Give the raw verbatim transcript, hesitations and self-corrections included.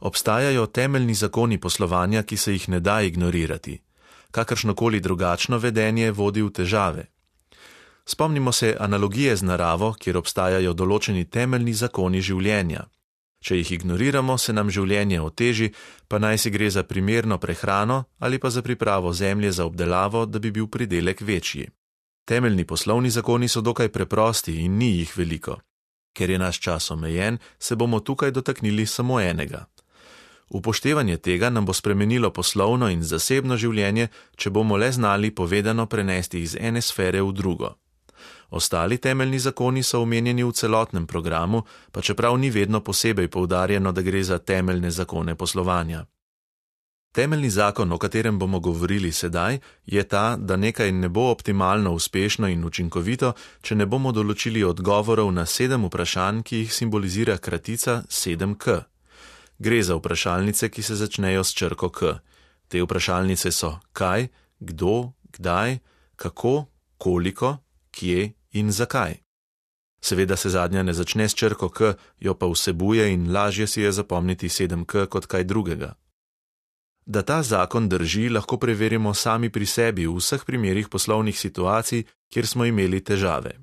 Obstajajo temeljni zakoni poslovanja, ki se jih ne da ignorirati. Kakršnokoli drugačno vedenje vodi v težave. Spomnimo se analogije z naravo, kjer obstajajo določeni temeljni zakoni življenja. Če jih ignoriramo, se nam življenje oteži, pa naj si gre za primerno prehrano ali pa za pripravo zemlje za obdelavo, da bi bil pridelek večji. Temeljni poslovni zakoni so dokaj preprosti in ni jih veliko. Ker je naš čas omejen, se bomo tukaj dotaknili samo enega. Upoštevanje tega nam bo spremenilo poslovno in zasebno življenje, če bomo le znali povedano prenesti iz ene sfere v drugo. Ostali temeljni zakoni so omenjeni v celotnem programu, pa čeprav ni vedno posebej poudarjeno, da gre za temeljne zakone poslovanja. Temeljni zakon, o katerem bomo govorili sedaj, je ta, da nekaj ne bo optimalno uspešno in učinkovito, če ne bomo določili odgovorov na sedem vprašanj, ki jih simbolizira kratica sedem K. Gre za vprašalnice, ki se začnejo s črko K. Te vprašalnice so kaj, kdo, kdaj, kako, koliko, kje in zakaj. Seveda se zadnja ne začne s črko K, jo pa vsebuje in lažje si je zapomniti sedem K kot kaj drugega. Da ta zakon drži, lahko preverimo sami pri sebi v vseh primerih poslovnih situacij, kjer smo imeli težave.